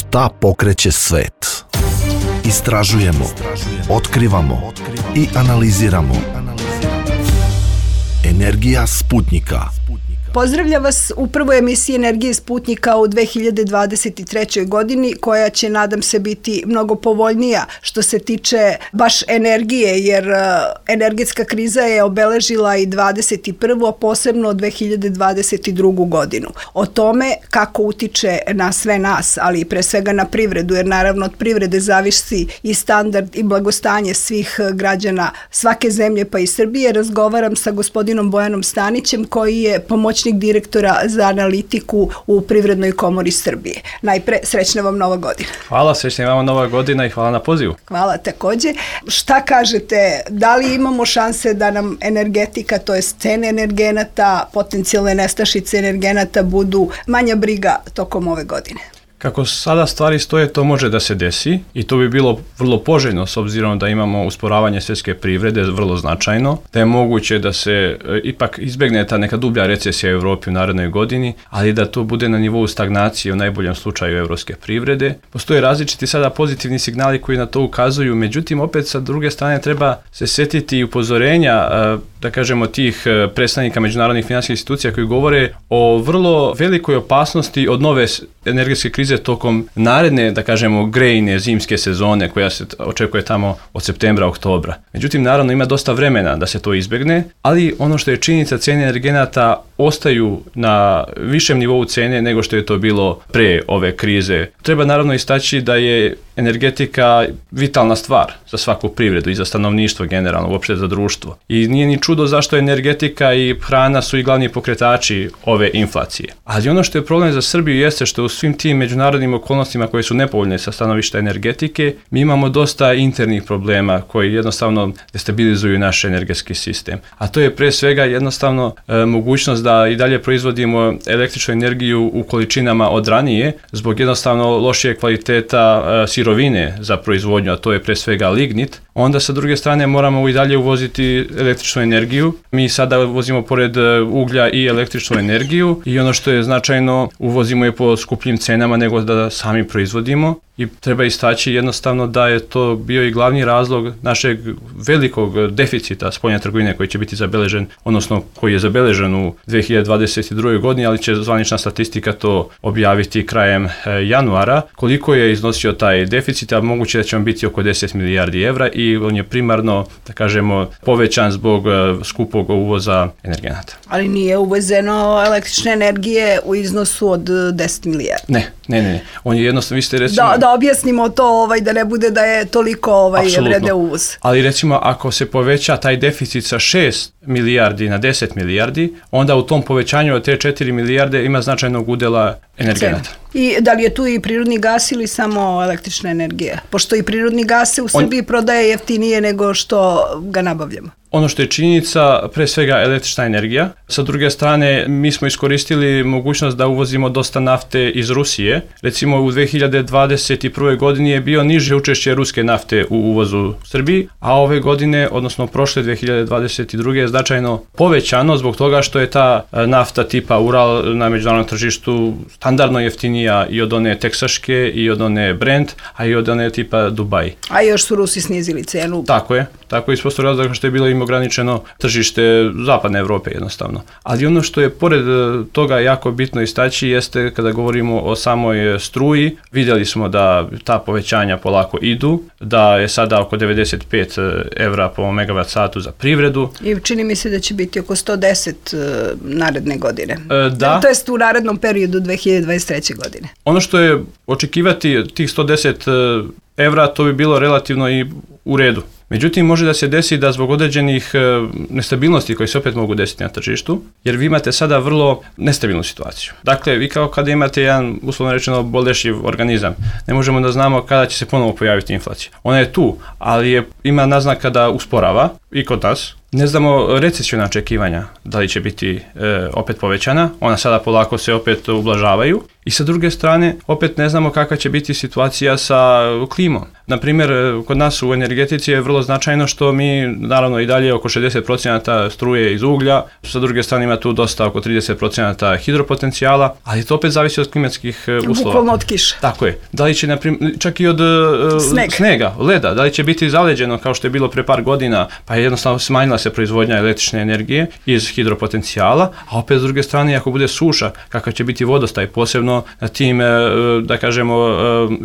Šta pokreće svet? Istražujemo, otkrivamo i analiziramo. Energija Sputnjika. Pozdravljam vas u prvoj emisiji Energije Sputnjika u 2023. godini, koja će, nadam se, biti mnogo povoljnija što se tiče baš energije, jer energetska kriza je obeležila i 21. a posebno 2022. godinu. O tome kako utiče na sve nas, ali i pre svega na privredu, jer naravno od privrede zavisi i standard i blagostanje svih građana svake zemlje, pa i Srbije, razgovaram sa gospodinom Bojanom Stanićem, koji je pomoćnik direktora za analitiku u Privrednoj komori Srbije. Najpre, srećna vam Nova godina. Hvala, srećna vam Nova godina i hvala na pozivu. Hvala takođe. Šta kažete, da li imamo šanse da nam energetika, to je cene energenata, potencijalne nestašice energenata budu manja briga tokom ove godine? Kako sada stvari stoje, to može da se desi i to bi bilo vrlo poželjno s obzirom da imamo usporavanje svjetske privrede vrlo značajno, da je moguće da se ipak izbegne ta neka dublja recesija u Evropi u narednoj godini, ali da to bude na nivou stagnacije u najboljem slučaju evropske privrede. Postoje različiti sada pozitivni signali koji na to ukazuju, međutim opet sa druge strane treba se sjetiti i upozorenja da kažemo tih predstavnika međunarodnih finansijskih institucija koji govore o vrlo velikoj opasnosti od nove energetske krize tokom naredne, da kažemo, grejne zimske sezone koja se očekuje tamo od septembra, oktobra. Međutim, naravno ima dosta vremena da se to izbegne, ali ono što je činjenica, cijene energenata ostaju na višem nivou cene nego što je to bilo pre ove krize. Treba naravno istaći da je energetika vitalna stvar za svaku privredu i za stanovništvo generalno, uopšte za društvo. I nije ni čudo zašto energetika i hrana su i glavni pokretači ove inflacije. Ali ono što je problem za Srbiju jeste što u svim tim međunarodnim okolnostima koje su nepovoljne sa stanovišta energetike, mi imamo dosta internih problema koji jednostavno destabilizuju naš energetski sistem. A to je pre svega jednostavno mogućnost da i dalje proizvodimo električnu energiju u količinama od ranije zbog jednostavno lošije kvaliteta sirovine za proizvodnju, a to je pre svega lignit. Onda sa druge strane moramo i dalje uvoziti električnu energiju. Mi sada uvozimo pored uglja i električnu energiju i ono što je značajno, uvozimo je po skupljim cenama nego da sami proizvodimo. I treba istaći jednostavno da je to bio i glavni razlog našeg velikog deficita spoljne trgovine koji će biti zabeležen, odnosno koji je zabeležen u 2022. godini, ali će zvanična statistika to objaviti krajem januara. Koliko je iznosio taj deficit, a moguće da će on biti oko 10 milijardi evra i on je primarno, da kažemo, povećan zbog skupog uvoza energenata. Ali nije uvezeno električne energije u iznosu od 10 milijardi? Ne. On je jednostavno, vi ste recimo... Da objasnimo to, da ne bude da je toliko vrede uvoz. Ali recimo ako se poveća taj deficit sa 6 milijardi na 10 milijardi, onda u tom povećanju od te 4 milijarde ima značajnog udela energenata. I da li je tu i prirodni gas ili samo električna energija? Pošto i prirodni gas se u Srbiji prodaje jeftinije nego što ga nabavljamo. Ono što je činjenica, pre svega električna energija. Sa druge strane, mi smo iskoristili mogućnost da uvozimo dosta nafte iz Rusije. Recimo u 2021. godini je bio niže učešće ruske nafte u uvozu Srbiji, a ove godine, odnosno prošle 2022. je značajno povećano zbog toga što je ta nafta tipa Ural na međunarodnom tržištu standardno jeftinija i od one teksaške i od one Brent, a i od one tipa Dubai. A još su Rusi snizili cenu. Tako je iz prostog razloga što je bilo im ograničeno tržište zapadne Evrope jednostavno. Ali ono što je pored toga jako bitno istaći jeste kada govorimo o samoj struji, vidjeli smo da ta povećanja polako idu, da je sada oko 95 evra po megavat satu za privredu. I čini mi se da će biti oko 110 naredne godine. Da. To jest u narednom periodu 2023. godine. Ono što je očekivati tih 110 evra, to bi bilo relativno i u redu. Međutim, može da se desi da zbog određenih nestabilnosti koje se opet mogu desiti na tržištu, jer vi imate sada vrlo nestabilnu situaciju. Dakle, vi kao kada imate jedan, uslovno rečeno, bolešiv organizam, ne možemo da znamo kada će se ponovo pojaviti inflacija. Ona je tu, ali ima naznaka da usporava i kod nas. Ne znamo recesiona očekivanja da li će biti opet povećana, ona sada polako se opet ublažavaju I sa druge strane, opet ne znamo kakva će biti situacija sa klimom. Naprimjer, kod nas u energetici je vrlo značajno što mi, naravno i dalje oko 60% struje iz uglja, sa druge strane ima tu dosta oko 30% hidropotencijala, ali to opet zavisi od klimatskih uslova. Bukvalno od kiša. Tako je. Da li će, naprimjer, čak i od snega, leda, da li će biti zaleđeno kao što je bilo pre par godina, pa je jednostavno smanjila se proizvodnja električne energije iz hidropotencijala, a opet s druge strane, ako bude suša, kakav će biti vodostaj, posebno na tim, da kažemo,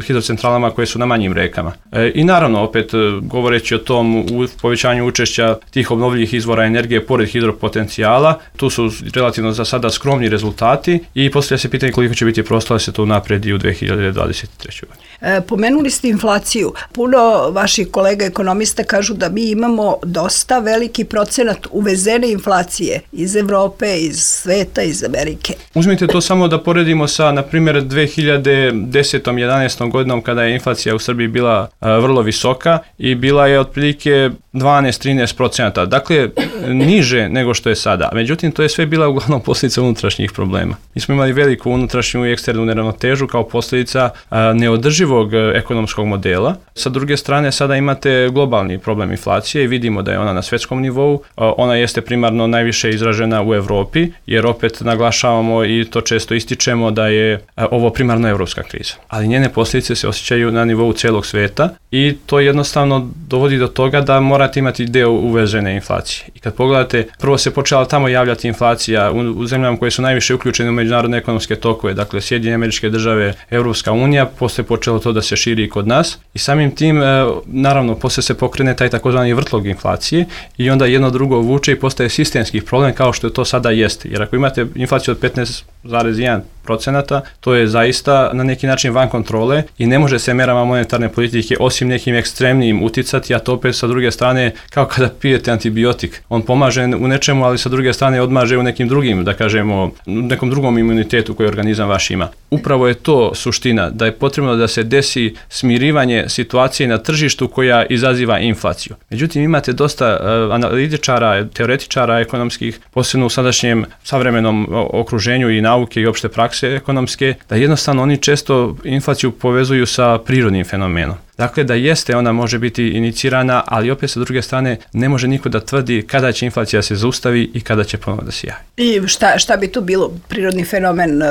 hidrocentralama koje su na manjim rekama. I naravno, opet, govoreći o tom povećanju učešća tih obnovljivih izvora energije pored hidropotencijala, tu su relativno za sada skromni rezultati i postavlja se pitanje koliko će biti prostora da se to unapredi u 2023. godini. Pomenuli ste inflaciju. Puno vaših kolega ekonomista kažu da mi imamo dosta veliki procenat uvezene inflacije iz Evrope, iz sveta, iz Amerike. Uzmite to samo da poredimo sa, na primjer, 2010-11 godinom kada je inflacija u Srbiji bila vrlo visoka i bila je otprilike 12-13%. Dakle, niže nego što je sada. Međutim, to je sve bila uglavnom posljedica unutrašnjih problema. Mi smo imali veliku unutrašnju i eksternu neravnotežu kao posljedica neodrživog ekonomskog modela. Sa druge strane, sada imate globalni problem inflacije i vidimo da je ona na svjetskom nivou. Ona jeste primarno najviše izražena u Evropi, jer opet naglašavamo i to često ističemo da je ovo primarno evropska kriza. Ali njene posljedice se osjećaju na nivou celog sveta i to jednostavno dovodi do toga da morate imati deo uvezene inflacije. I kad pogledate, prvo se počela tamo javljati inflacija u zemljama koje su najviše uključene u međunarodne ekonomske tokove, dakle Sjedinjene Američke Države, Europska unija, posle počelo to da se širi i kod nas i samim tim, naravno, posle se pokrene taj takozvani vrtlog inflacije i onda jedno drugo vuče i postaje sistemski problem kao što to sada jeste. Jer ako imate inflaciju od 15,1%, to je zaista na neki način van kontrole i ne može se merama monetarne politike osim nekim ekstremnijim uticati, a to opet sa druge strane kao kada pijete antibiotik. On pomaže u nečemu, ali sa druge strane odmaže u nekim drugim, da kažemo, nekom drugom imunitetu koji organizam vaš ima. Upravo je to suština, da je potrebno da se desi smirivanje situacije na tržištu koja izaziva inflaciju. Međutim, imate dosta analitičara, teoretičara ekonomskih, posebno u sadašnjem savremenom okruženju i nauke i opšte prakse ekonomske, da jednostavno oni često inflaciju povezuju sa prirodnim fenomenom. Dakle, da jeste, ona može biti inicirana, ali opet sa druge strane ne može niko da tvrdi kada će inflacija se zaustavi i kada će ponovno da se javi. I šta bi to bilo? Prirodni fenomen,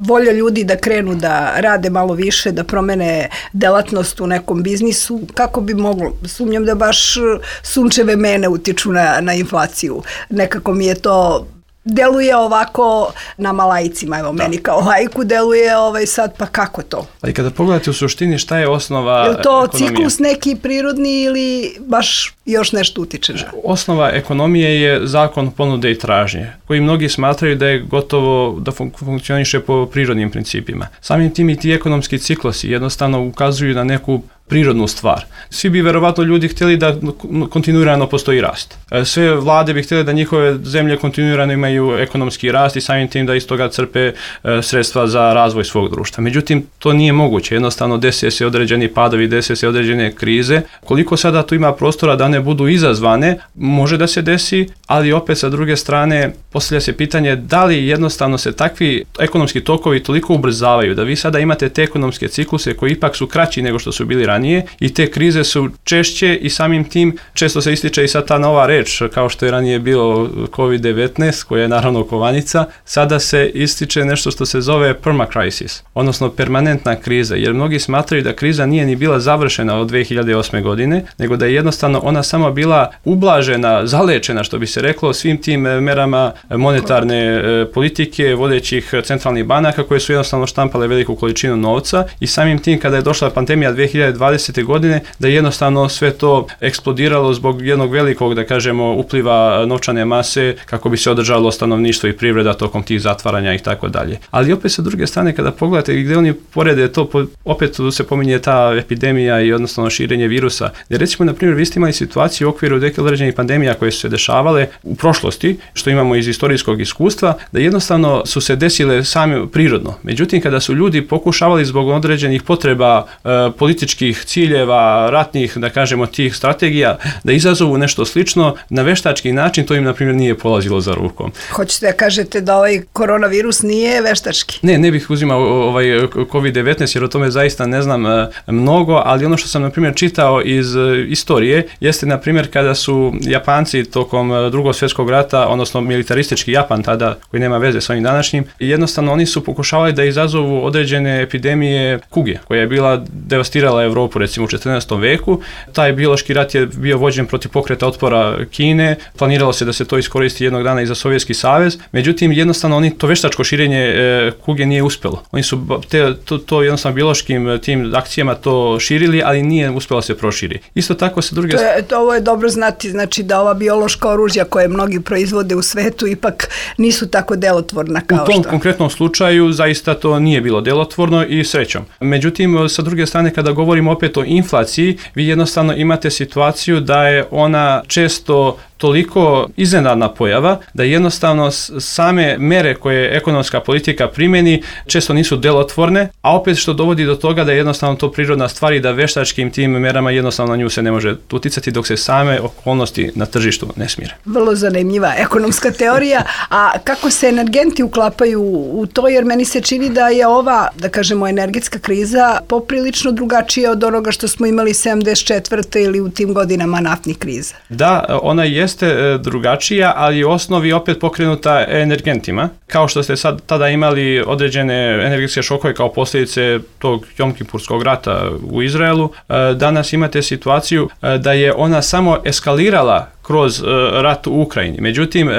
volja ljudi da krenu da rade malo više, da promene delatnost u nekom biznisu, kako bi moglo? Sumnjam da baš sunčeve mene utiču na inflaciju. Nekako mi je to deluje ovako nama laicima, evo meni kao laiku deluje sad, pa kako to? Ali kada pogledate u suštini šta je osnova ekonomije? Je to ciklus neki prirodni ili baš još nešto utiče? Osnova ekonomije je zakon ponude i tražnje, koji mnogi smatraju da je gotovo da funkcioniše po prirodnim principima. Samim tim i ti ekonomski ciklusi jednostavno ukazuju na neku prirodnu stvar. Svi bi verovatno ljudi htjeli da kontinuirano postoji rast. Sve vlade bi htjeli da njihove zemlje kontinuirano imaju ekonomski rast i samim tim da iz toga crpe sredstva za razvoj svog društva. Međutim, to nije moguće. Jednostavno dese se određeni padovi, dese se određene krize. Koliko sada tu ima prostora da one budu izazvane, može da se desi, ali opet sa druge strane postavlja se pitanje da li jednostavno se takvi ekonomski tokovi toliko ubrzavaju da vi sada imate te ekonomske cikluse koji ipak su kraći nego što su bili ranije i te krize su češće i samim tim često se ističe i sad ta nova reč kao što je ranije bilo COVID-19 koja je naravno kovanica, sada se ističe nešto što se zove permacrisis, odnosno permanentna kriza, jer mnogi smatraju da kriza nije ni bila završena od 2008. godine, nego da je jednostavno ona samo bila ublažena, zalečena što bi se reklo svim tim merama monetarne politike vodećih centralnih banaka koje su jednostavno štampale veliku količinu novca i samim tim kada je došla pandemija 2020. godine da je jednostavno sve to eksplodiralo zbog jednog velikog, da kažemo, upliva novčane mase kako bi se održalo stanovništvo i privreda tokom tih zatvaranja i tako dalje. Ali opet sa druge strane kada pogledate gdje oni porede to, opet se pominje ta epidemija i odnosno širenje virusa. Jer recimo, na primjer, vi ste imali situaciju u okviru određenih pandemija koje su se dešavale u prošlosti, što imamo iz istorijskog iskustva, da jednostavno su se desile sami prirodno. Međutim, kada su ljudi pokušavali zbog određenih potreba političkih nekakvih ciljeva, ratnih, da kažemo, tih strategija, da izazovu nešto slično, na veštački način to im, na primjer, nije polazilo za rukom. Hoćete da kažete da ovaj koronavirus nije veštački? Ne bih uzimao COVID-19 jer o tome zaista ne znam mnogo, ali ono što sam, na primjer, čitao iz istorije jeste, na primjer, kada su Japanci tokom Drugog svjetskog rata, odnosno militaristički Japan tada, koji nema veze s ovim današnjim, jednostavno oni su pokušavali da izazovu određene epidemije kuge, koja je bila devastirala Evropu, recimo u 14. veku. Taj biološki rat je bio vođen protiv pokreta otpora Kine, planiralo se da se to iskoristi jednog dana i za Sovjetski savez, međutim, jednostavno oni to veštačko širenje kuge nije uspjelo. Oni su to jednostavno biološkim tim akcijama to širili, ali nije uspjelo se proširi. Isto tako se druge... Ovo je dobro znati, znači da ova biološka oružja koje mnogi proizvode u svetu ipak nisu tako delotvorna kao što... U tom konkretnom slučaju zaista to nije bilo delotvorno i srećom. Međutim, sa druge strane, kada govorimo opet o inflaciji, vi jednostavno imate situaciju da je ona često toliko iznenadna pojava da jednostavno same mere koje ekonomska politika primjeni često nisu delotvorne, a opet što dovodi do toga da je jednostavno to prirodna stvar i da veštačkim tim merama jednostavno na nju se ne može uticati dok se same okolnosti na tržištu ne smire. Vrlo zanimljiva ekonomska teorija, a kako se energenti uklapaju u to, jer meni se čini da je ova, da kažemo, energetska kriza poprilično drugačija od onoga što smo imali 74. ili u tim godinama naftnih kriza. Da, ona jeste drugačija, ali u osnovi opet pokrenuta energentima. Kao što ste sad tada imali određene energetske šokove kao posljedice tog Jom-Kipurskog rata u Izraelu, danas imate situaciju da je ona samo eskalirala kroz rat u Ukrajini. Međutim,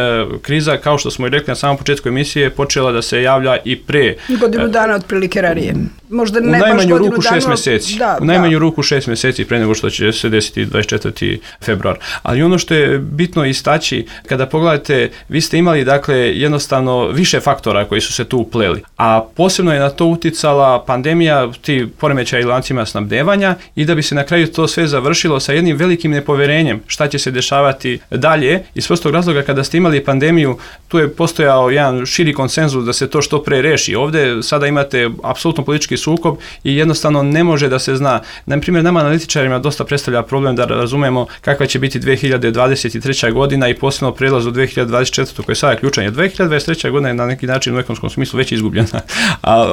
kriza, kao što smo i rekli na samom početku emisije, počela da se javlja i pre... Godinu dana otprilike ranije. Možda ne baš godinu dana. U najmanju ruku 6 mjeseci. U najmanju ruku 6 mjeseci pre nego što će se desiti 24. februar. Ali ono što je bitno istaći, kada pogledate, vi ste imali, dakle, jednostavno više faktora koji su se tu upleli. A posebno je na to uticala pandemija, ti poremećaji lancima snabdevanja, i da bi se na kraju to sve završilo sa jednim velikim nepoverenjem šta će se dešavati dalje. Iz prostog razloga, kada ste imali pandemiju, tu je postojao jedan širi konsenzus da se to što pre reši. Ovdje sada imate apsolutno politički sukob i jednostavno ne može da se zna. Na primjer, nama analitičarima dosta predstavlja problem da razumemo kakva će biti 2023. godina i posebno prelaz u 2024. koja je sada ključan. 2023. godina je na neki način u ekonomskom smislu već izgubljena.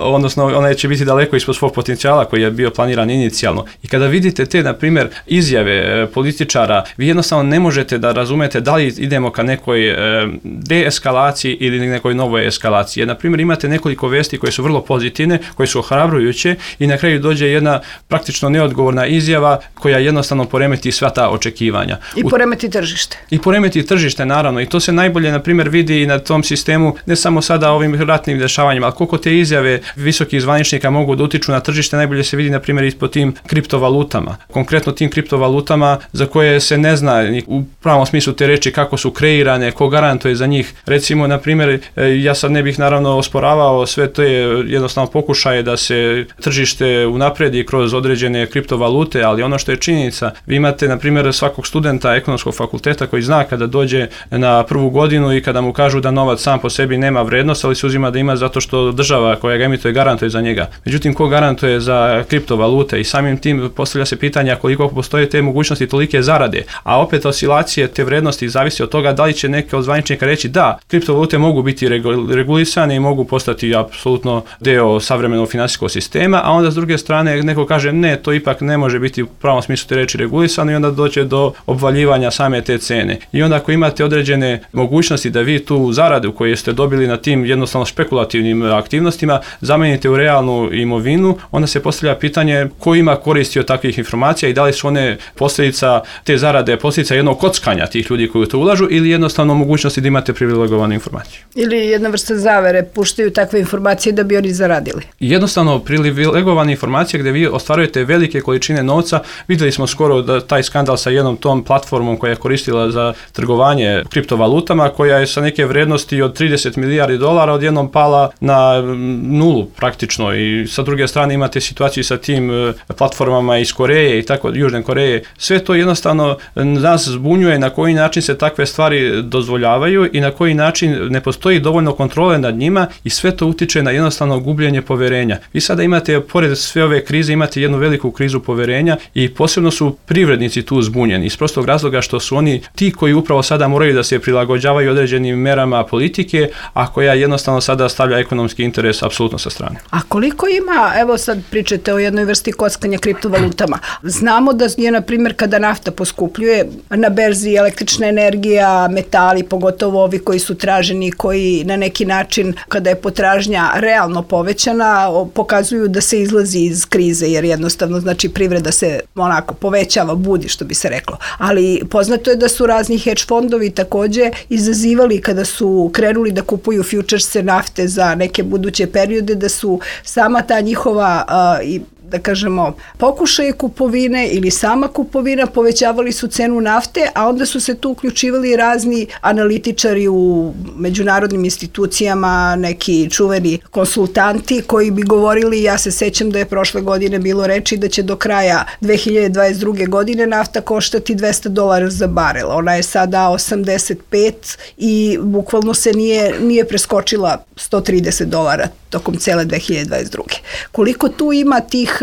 Odnosno, ona će biti daleko ispod svog potencijala koji je bio planiran inicijalno. I kada vidite te, na primjer, izjave političara, vi jednostavno ne možete da razumete da li idemo ka nekoj deeskalaciji ili nekoj novoj eskalaciji. Jer, na primjer, imate nekoliko vesti koje su vrlo pozitivne, koje su ohrabrujuće i na kraju dođe jedna praktično neodgovorna izjava koja jednostavno poremeti sva ta očekivanja. I poremeti tržište. I poremeti tržište, naravno. I to se najbolje, na primjer, vidi i na tom sistemu, ne samo sada ovim ratnim dešavanjima, ali koliko te izjave visokih zvaničnika mogu da utiču na tržište, najbolje se vidi, na primjer, ispod tim kriptovalutama. Konkretno tim kriptovalutama za koje se ne zna u pravom smislu te reči kako su kreirane, ko garantuje za njih. Recimo, na primjer, ja sad ne bih naravno osporavao sve to je jednostavno pokušaje da se tržište unapredi kroz određene kriptovalute, ali ono što je činjenica, vi imate, na primjer, svakog studenta ekonomskog fakulteta koji zna kada dođe na prvu godinu i kada mu kažu da novac sam po sebi nema vrednost, ali se uzima da ima zato što država koja ga emituje garantuje za njega. Međutim, ko garantuje za kriptovalute? I samim tim postavlja se pitanja koliko postoje te mogućnosti tolike zarade, a opet oscilacije te vrednosti zavisi od toga da li će neke od zvaničnika reći da, kriptovalute mogu biti regulisane i mogu postati apsolutno deo savremenog financijskog sistema, a onda s druge strane neko kaže ne, to ipak ne može biti u pravom smislu te reči regulisano i onda doće do obvaljivanja same te cene. I onda ako imate određene mogućnosti da vi tu zaradu koju ste dobili na tim jednostavno špekulativnim aktivnostima zamenite u realnu imovinu, onda se postavlja pitanje ko ima koristi od takvih informacija i da li su one posljedica te zarade, posljedica jednog kockanja tih ljudi koji to ulažu ili jednostavno mogućnosti da imate privilegovanu informaciju. Ili jedna vrsta zavere, puštaju takve informacije da bi oni zaradili. Jednostavno privilegovane informacije gdje vi ostvarujete velike količine novca. Vidjeli smo skoro da taj skandal sa jednom tom platformom koja je koristila za trgovanje kriptovalutama, koja je sa neke vrednosti od 30 milijardi dolara odjednom pala na nulu praktično i sa druge strane imate situaciju sa tim platformama iz Koreje i tako Južne Koreje. Sve to jednostavno nas zbunjuje je na koji način se takve stvari dozvoljavaju i na koji način ne postoji dovoljno kontrole nad njima i sve to utiče na jednostavno gubljenje poverenja. Vi sada imate, pored sve ove krize, imate jednu veliku krizu poverenja i posebno su privrednici tu zbunjeni iz prostog razloga što su oni ti koji upravo sada moraju da se prilagođavaju određenim merama politike, a koja jednostavno sada stavlja ekonomski interes apsolutno sa strane. A koliko ima, evo sad pričate o jednoj vrsti kockanja kriptovalutama. Znamo da je, na primjer, kada nafta poskupljuje na berzi električna energija, metali, pogotovo ovi koji su traženi, koji na neki način, kada je potražnja realno povećana, pokazuju da se izlazi iz krize, jer jednostavno, znači, privreda se onako povećava, budi, što bi se reklo. Ali poznato je da su razni hedge fondovi takođe izazivali kada su krenuli da kupuju futurese nafte za neke buduće periode, da su sama ta njihova da kažemo, pokušaje kupovine ili sama kupovina povećavali su cenu nafte, a onda su se tu uključivali razni analitičari u međunarodnim institucijama, neki čuveni konsultanti koji bi govorili, ja se sećam da je prošle godine bilo reči da će do kraja 2022. godine nafta koštati $200 za barel. Ona je sada 85 i bukvalno se nije preskočila $130 tokom cele 2022. Koliko tu ima tih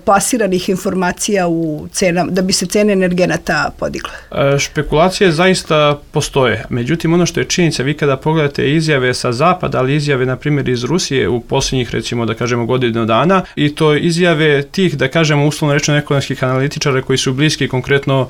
plasiranih informacija u cenama, da bi se cene energenata podigle? Špekulacije zaista postoje. Međutim, ono što je činjenica, vi kada pogledate izjave sa zapada, ali izjave, na primjer, iz Rusije u posljednjih, recimo, da kažemo, godinu dana, i to izjave tih, da kažemo, uslovno rečeno ekonomskih analitičara koji su bliski konkretno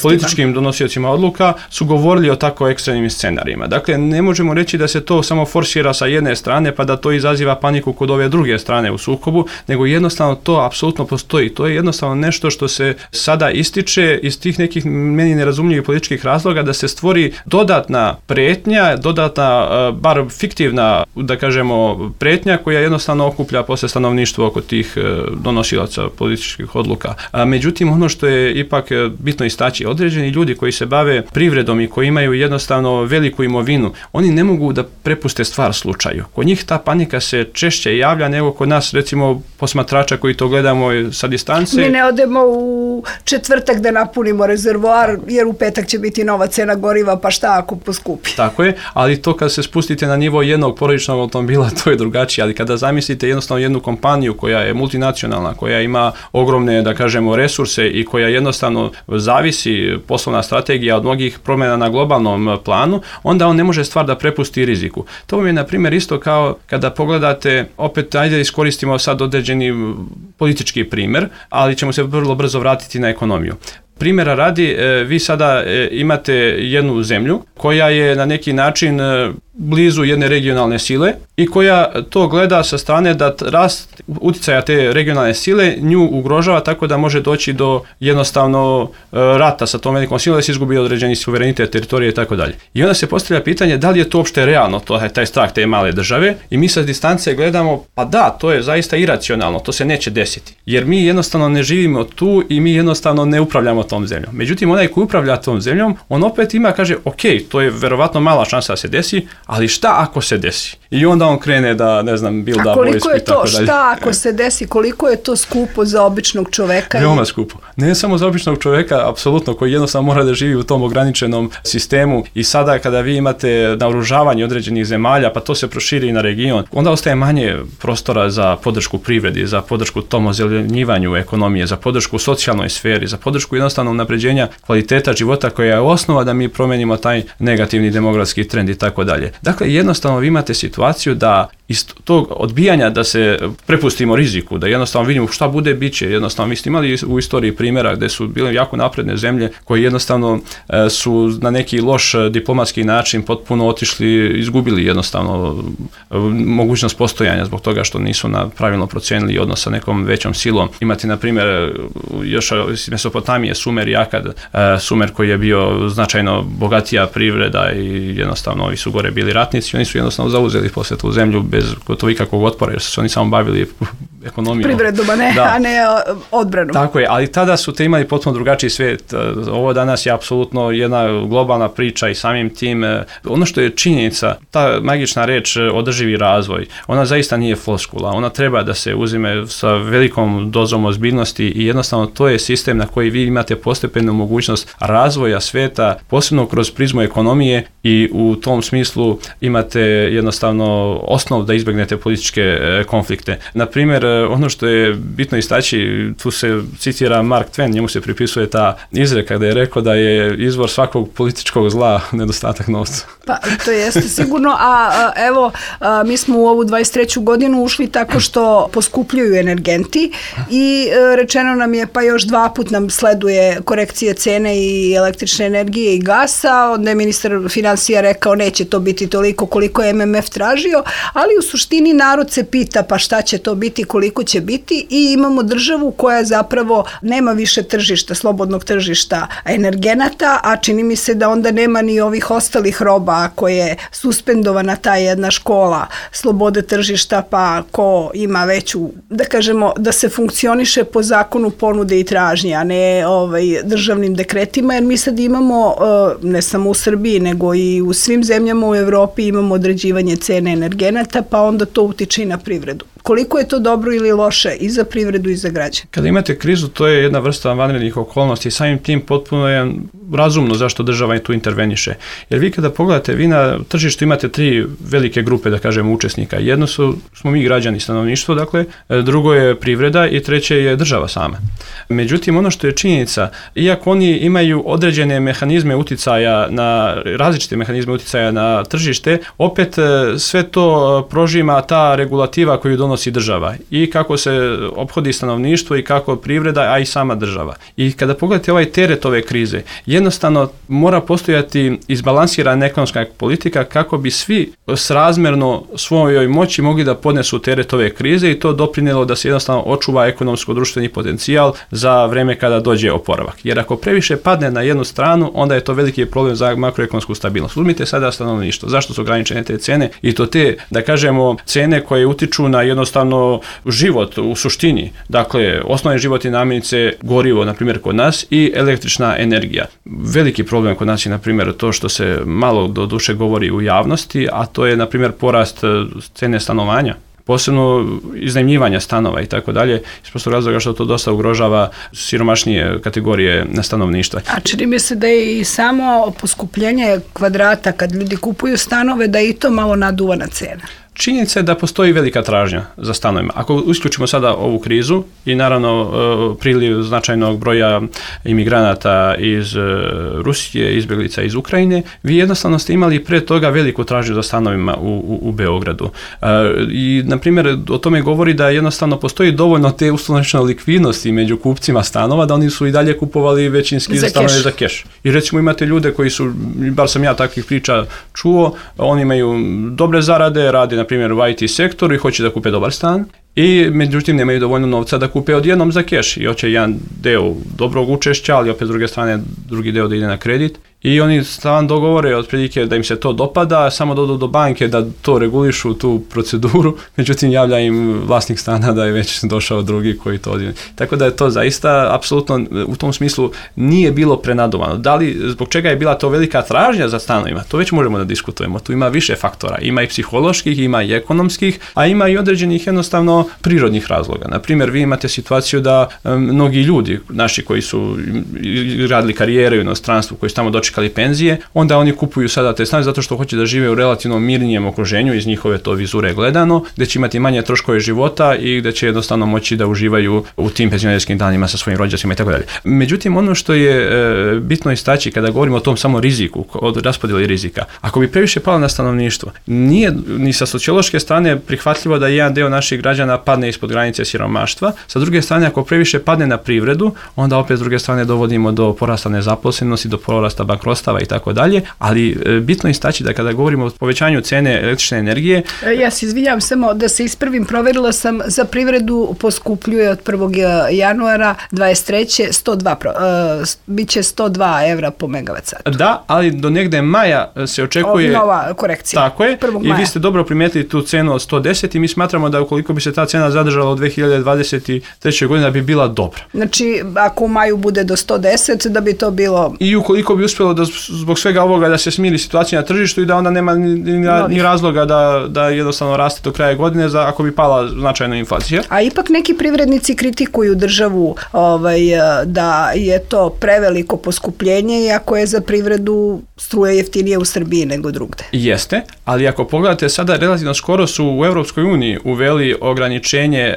političkim donosiocima odluka, su govorili o tako ekstremnim scenarijima. Dakle, ne možemo reći da se to samo forsira sa jedne strane, pa da to izaziva paniku kod ove druge strane u sukobu, nego jednostavno to apsolutno postoji. To je jednostavno nešto što se sada ističe iz tih nekih meni nerazumljivih političkih razloga da se stvori dodatna pretnja, dodatna, bar fiktivna, da kažemo, pretnja koja jednostavno okuplja posle stanovništvo oko tih donosilaca političkih odluka. Međutim, ono što je ipak bitno istaći, određeni ljudi koji se bave privredom i koji imaju jednostavno veliku imovinu, oni ne mogu da prepuste stvar slučaju. Kod njih ta panika se češće javlja nego kod nas, recimo, posmatrača koji to gledamo sa distance. Mi ne odemo u četvrtak da napunimo rezervoar, jer u petak će biti nova cena goriva, pa šta ako poskupi? Tako je, ali to kad se spustite na nivo jednog porodičnog automobila, to je drugačije, ali kada zamislite jednostavno jednu kompaniju koja je multinacionalna, koja ima ogromne, da kažemo, resurse i koja jednostavno zavisi poslovna strategija od mnogih promjena na globalnom planu, onda on ne može stvar da prepusti riziku. To vam je, na primjer, isto kao kada pogledate, opet, ajde iskoristimo sad određeni politički primjer, ali ćemo se vrlo brzo vratiti na ekonomiju. Primjera radi, vi sada imate jednu zemlju koja je na neki način blizu jedne regionalne sile i koja to gleda sa strane da rast uticaja te regionalne sile nju ugrožava tako da može doći do jednostavno rata sa tom velikom silom da se izgubi određeni suverenitet, teritorije i tako dalje. I onda se postavlja pitanje da li je to uopšte realno, taj strah te male države, i mi sa distance gledamo, pa da, to je zaista iracionalno, to se neće desiti. Jer mi jednostavno ne živimo tu i mi jednostavno ne upravljamo tom zemljom. Međutim, onaj koji upravlja tom zemljom, on opet ima, kaže, ok, to je verovatno mala šansa da se desi, ali šta ako se desi? I onda on krene da, ne znam, builda vojsku i tako dalje. Šta ako se desi? Koliko je to skupo za običnog čoveka? Veoma skupo. Ne samo za običnog čoveka, apsolutno, koji jednostavno mora da živi u tom ograničenom sistemu, i sada kada vi imate naoružavanje određenih zemalja, pa to se proširi na region, onda ostaje manje prostora za podršku privredi, za podršku tom ozelenjivanju ekonomije, za podršku socijalnoj sferi, za podršku jednostavno unapređenja kvaliteta života koja je osnova da mi promenimo taj negativni demografski trend i tako dalje. Dakle, jednostavno vi imate situaciju da iz tog odbijanja da se prepustimo riziku, da jednostavno vidimo šta bude, bit će. Jednostavno, vi ste imali u istoriji primjera gde su bile jako napredne zemlje koje jednostavno su na neki loš diplomatski način potpuno otišli, izgubili jednostavno mogućnost postojanja zbog toga što nisu pravilno procenili odnos sa nekom većom silom. Imate, na primjer, još iz Mesopotamije Sumer i Akad, Sumer koji je bio značajno bogatija privreda i jednostavno ovi su gore bili ratnici, oni su jednostavno zauzeli posle tu zemlju bez gotovo ikakvog otpora, jer su se oni samo bavili ekonomijom. Privredom, a ne odbranom. Tako je, ali tada su te imali potpuno drugačiji svijet. Ovo danas je apsolutno jedna globalna priča i samim tim, ono što je činjenica, ta magična reč održivi razvoj, ona zaista nije floskula, ona treba da se uzime sa velikom dozom ozbiljnosti i jednostavno to je sistem na koji vi imate postepenu mogućnost razvoja svijeta, posebno kroz prizmu ekonomije i u tom smislu imate jednostavno osnov da izbjegnete političke konflikte. Na primjer, ono što je bitno istaći, tu se citira Mark Twain, njemu se pripisuje ta izreka da je rekao da je izvor svakog političkog zla nedostatak novca. Pa to jeste sigurno, evo mi smo u ovu 23. godinu ušli tako što poskupljuju energenti i rečeno nam je pa još 2 puta nam sleduje korekcije cene i električne energije i gasa, onda je ministar financija rekao neće to biti toliko koliko je MMF tražio, ali u suštini narod se pita pa šta će to biti, koliko će biti i imamo državu koja zapravo nema više tržišta, slobodnog tržišta energenata, a čini mi se da onda nema ni ovih ostalih roba ako je suspendovana ta jedna škola slobode tržišta, pa ko ima veću, da kažemo, da se funkcioniše po zakonu ponude i tražnje, a ne državnim dekretima, jer mi sad imamo, ne samo u Srbiji, nego i u svim zemljama u Evropi imamo određivanje cene energenata, pa onda to utiče i na privredu. Koliko je to dobro ili loše i za privredu i za građane? Kada imate krizu, to je jedna vrsta vanrednih okolnosti i samim tim potpuno je razumno zašto država tu interveniše. Jer vi kada pogledate, vi na tržištu imate 3 velike grupe, da kažemo, učesnika. Jedno smo mi građani, stanovništvo, dakle, drugo je privreda i treće je država sama. Međutim, ono što je činjenica, iako oni imaju određene mehanizme uticaja na, različite mehanizme uticaja na tržište, opet sve to prožima ta regulativa koju donosi država i kako se ophodi stanovništvo i kako privreda, a i sama država. I kada pogledate ovaj teret ove krize, jednostavno mora postojati izbalansirana ekonomska politika kako bi svi srazmjerno svojoj moći mogli da podnesu teret ove krize i to doprinijelo da se jednostavno očuva ekonomsko-društveni potencijal za vreme kada dođe oporavak. Jer ako previše padne na jednu stranu, onda je to veliki problem za makroekonomsku stabilnost. Uzmite sada stanovništvo. Zašto su ograničene te cene? I to te, da kažemo, cene koje utiču na jednostavno život u suštini. Dakle, osnovne životne namirnice, gorivo, na primjer, kod nas i električna energija. Veliki problem kod nas je, na primjer, to što se malo do duše govori u javnosti, a to je, na primjer, porast cene stanovanja, posebno iznajmljivanja stanova i tako dalje, iz prostog razloga što to dosta ugrožava siromašnije kategorije stanovništva. A čini mi se da je i samo poskupljenje kvadrata kad ljudi kupuju stanove, da je i to malo naduvana cena. Činjenica je da postoji velika tražnja za stanovima. Ako isključimo sada ovu krizu i naravno priliv značajnog broja imigranata iz Rusije, izbjeglica iz Ukrajine, vi jednostavno ste imali pre toga veliku tražnju za stanovima u Beogradu. I, na primjer, o tome govori da jednostavno postoji dovoljno te uslovnične likvidnosti među kupcima stanova, da oni su i dalje kupovali većinski stanove za keš. I recimo imate ljude koji su, bar sam ja takvih priča čuo, oni imaju dobre zarade, rade na primjer u IT sektoru i hoće da kupe dobar stan i međutim nemaju dovoljno novca da kupe odjednom za keš i hoće jedan deo dobrog učešća, ali opet s druge strane drugi deo da ide na kredit. I oni stalno dogovore otprilike da im se to dopada, samo dođu do banke da to regulišu tu proceduru, međutim javlja im vlasnik stana da je već došao drugi koji to odjene. Tako da je to zaista apsolutno u tom smislu nije bilo prenadovano. Da li, zbog čega je bila to velika tražnja za stanovima, to već možemo da diskutujemo. Tu ima više faktora, ima i psiholoških, ima i ekonomskih, a ima i određenih jednostavno prirodnih razloga. Na primjer, vi imate situaciju da mnogi ljudi, naši koji su radili karijere u inostranstvu, koji su tamo dočekali penzije, onda oni kupuju sada te stanove zato što hoće da žive u relativno mirnijem okruženju iz njihove to vizure gledano, gdje će imati manje troškove života i gdje će jednostavno moći da uživaju u tim penzionerskim danima sa svojim rođacima i tako dalje. Međutim, ono što je bitno istaći kada govorimo o tom samo riziku, od raspodjeli rizika, ako bi previše palo na stanovništvo, nije ni sa sociološke strane prihvatljivo da jedan deo naših građana padne ispod granice siromaštva, sa druge strane ako previše padne na privredu, onda opet s druge strane dovodimo do porasta nezaposlenosti, do porasta bankrotstva krostava i tako dalje, ali bitno istaći da kada govorimo o povećanju cene električne energije... Ja se izvinjam samo da se ispravim, proverila sam za privredu poskupljuje od 1. januara 23. Biće 102 evra po megavat satu. Da, ali do negde maja se očekuje... Nova korekcija. Tako je. I vi ste dobro primijetili tu cenu od 110 i mi smatramo da ukoliko bi se ta cena zadržala u 2023. godine da bi bila dobra. Znači, ako u maju bude do 110, da bi to bilo... I ukoliko bi uspjelo da zbog svega ovoga da se smiri situacija na tržištu i da onda nema ni razloga da jednostavno raste do kraja godine ako bi pala značajna inflacija. A ipak neki privrednici kritikuju državu da je to preveliko poskupljenje iako je za privredu struje jeftinije u Srbiji nego drugde. Jeste, ali ako pogledate sada relativno skoro su u Europskoj uniji uveli ograničenje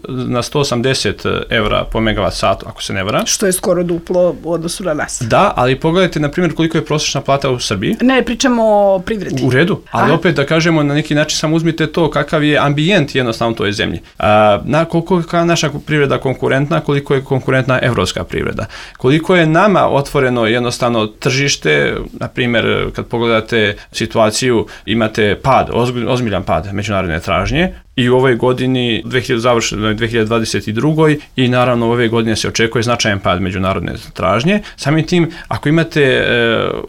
na 180 evra po megavat satu, ako se ne varam. Što je skoro duplo u odnosu na nas. Da, ali pogledajte na primjer koliko je prosječna plata u Srbiji. Ne, pričamo o privredi. U redu, ali opet da kažemo na neki način samo uzmite to kakav je ambijent jednostavno u toj zemlji. Koliko je naša privreda konkurentna, koliko je konkurentna evropska privreda. Koliko je nama otvoreno jednostavno tržište, na primjer kad pogledate situaciju imate ozbiljan pad međunarodne tražnje i u ovoj godini, završenoj 2022. i naravno ove godine se očekuje značajan pad međunarodne tražnje. Samim tim, ako imate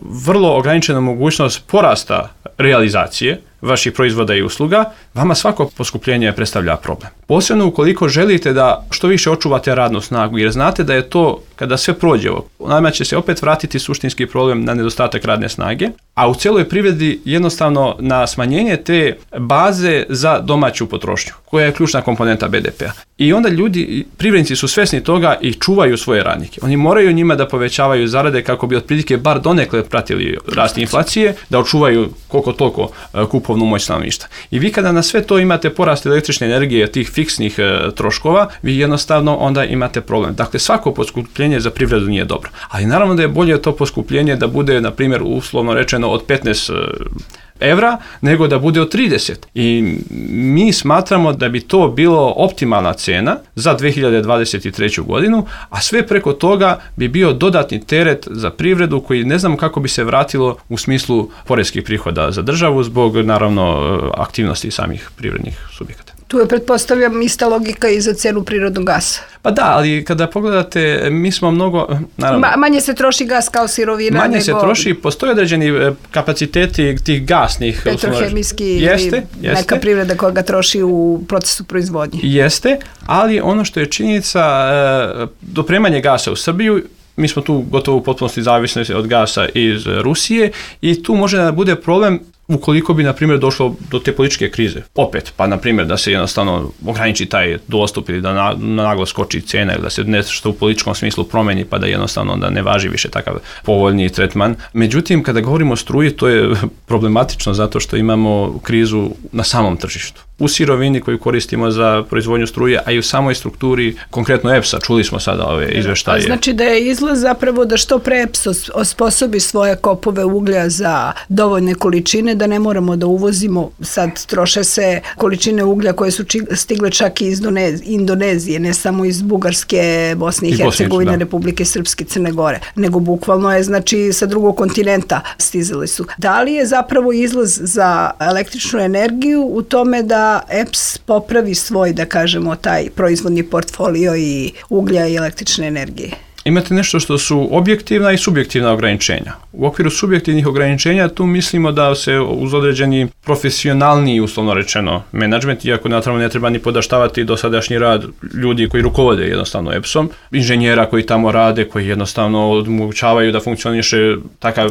vrlo ograničenu mogućnost porasta realizacije vaših proizvoda i usluga, vama svako poskupljenje predstavlja problem. Posebno ukoliko želite da što više očuvate radnu snagu, jer znate da je to, kada sve prođe, nama će se opet vratiti suštinski problem na nedostatak radne snage, a u cijeloj privredi jednostavno na smanjenje te baze za domaću potrošnju, koja je ključna komponenta BDP-a. I onda privrednici su svjesni toga i čuvaju svoje radnike. Oni moraju njima da povećavaju zarade kako bi otprilike bar donekle pratili rast inflacije, da očuvaju koliko toliko kupovnu moć stanovništva. I vi kada na sve to imate porast električne energije, tih fiksnih troškova, vi jednostavno onda imate problem. Dakle, svako poskupljenje za privredu nije dobro. Ali naravno da je bolje to poskupljenje da bude, na primjer, uslovno rečeno od 15 evra, nego da bude od 30. I mi smatramo da bi to bilo optimalna cena za 2023. godinu, a sve preko toga bi bio dodatni teret za privredu koji ne znamo kako bi se vratilo u smislu poreskih prihoda za državu zbog, naravno, aktivnosti samih privrednih subjekata. Tu je, pretpostavljam, ista logika i za cenu prirodnog gasa. Pa da, ali kada pogledate, mi smo mnogo... Naravno, manje se troši gas kao sirovina manje se troši, postoje određeni kapaciteti tih gasnih... Petrohemijski ili neka privreda koja ga troši u procesu proizvodnje. Jeste, ali ono što je činjenica, dopremanje gasa u Srbiju, mi smo tu gotovo u potpunosti zavisni od gasa iz Rusije i tu može da bude problem ukoliko bi, na primjer, došlo do te političke krize. Opet, pa, na primjer, da se jednostavno ograniči taj dostup ili da naglo skoči cena ili da se nešto u političkom smislu promeni pa da jednostavno da ne važi više takav povoljniji tretman. Međutim, kada govorimo o struji, to je problematično zato što imamo krizu na samom tržištu. U sirovini koju koristimo za proizvodnju struje, a i u samoj strukturi, konkretno EPS-a, čuli smo sada ove izveštaje. Znači da je izlaz zapravo da što pre EPS osposobi svoje kopove uglja za dovoljne količine, da ne moramo da uvozimo, sad troše se količine uglja koje su stigle čak i iz Indonezije, ne samo iz Bugarske, Bosne i Hercegovine, Republike Srpske, Crne Gore, nego bukvalno je, znači, sa drugog kontinenta stizali su. Da li je zapravo izlaz za električnu energiju u tome da EPS popravi svoj, da kažemo, taj proizvodni portfolio i uglja i električne energije? Imate nešto što su objektivna i subjektivna ograničenja. U okviru subjektivnih ograničenja tu mislimo da se uz određeni profesionalniji, uslovno rečeno, menadžment, iako naravno ne treba ni podaštavati dosadašnji rad ljudi koji rukovode jednostavno EPS-om, inženjera koji tamo rade, koji jednostavno omogućavaju da funkcioniše takav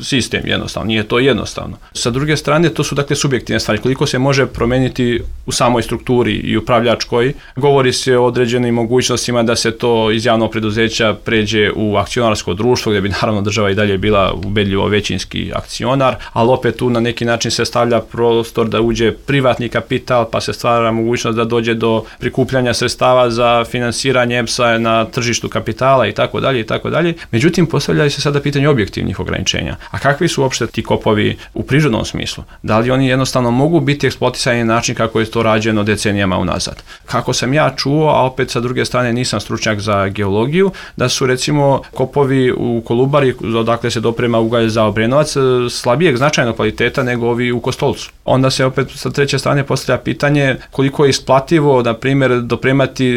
sistem jednostavno. Nije to jednostavno. Sa druge strane, to su dakle subjektivne stvari. Koliko se može promeniti u samoj strukturi i upravljačkoj, govori se o određenim mogućnostima da se to iz javnog preduzeća pređe u akcionarsko društvo, gdje bi naravno država i dalje bila ubedljivo većinski akcionar, ali opet tu na neki način se stavlja prostor da uđe privatni kapital, pa se stvara mogućnost da dođe do prikupljanja sredstava za finansiranje EPS-a na tržištu kapitala i tako dalje i tako dalje. Međutim, postavljaju se sada pitanje objektivnih ograničenja. A kakvi su uopšte ti kopovi u prirodnom smislu? Da li oni jednostavno mogu biti eksploatisani na način kako je to rađeno decenijama unazad? Kako sam ja čuo, a opet sa druge strane nisam stručnjak za geologiju, da su recimo kopovi u Kolubari, odakle se doprema ugalj za Obrenovac, slabijeg značajnog kvaliteta nego ovi u Kostolcu. Onda se opet sa treće strane postavlja pitanje koliko je isplativo, na primjer, dopremati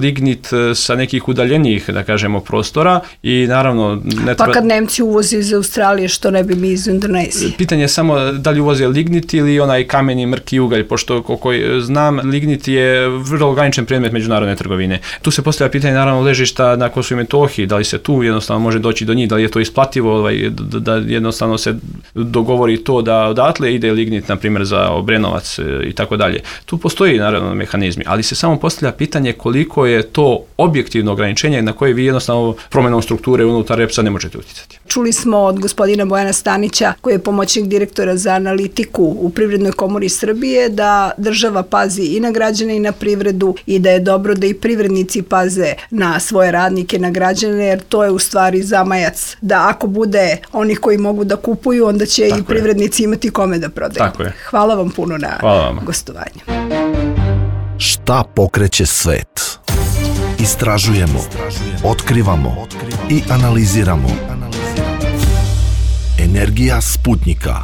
lignit sa nekih udaljenijih, da kažemo, prostora i naravno ne treba... Pa kad Nemci uvoze iz Australije, što ne bi mi iz Indonezije? Pitanje je samo da li uvoze lignit ili onaj kameni mrki ugalj, pošto koliko znam, lignit je vrlo ograničen predmet međunarodne trgovine. Tu se postavlja pitanje naravno ležišta na Kosovu i Metohiji, da li se tu jednostavno može doći do njih, da li je to isplativo, da jednostavno se dogovori to da odatle ide lignit, na primjer, za Obrenovac i tako dalje. Tu postoji naravno mehanizmi, ali se samo postavlja pitanje koliko je to objektivno ograničenje na koje vi jednostavno promjenom strukture unutar REPS-a ne možete utjecati. Čuli smo od gospodina Bojana Stanića, koji je pomoćnik direktora za analitiku u Privrednoj komori Srbije, da država pazi i na građane i na privredu i da je dobro da i privrednici paze na svoje radnike, na građane, jer to je u stvari zamajac da ako bude onih koji mogu da kupuju, onda će i privrednici imati kome da prodaju. Tako je. Hvala vam puno na gostovanju. Šta pokreće svet? Istražujemo, otkrivamo i analiziramo. Energija Sputnika.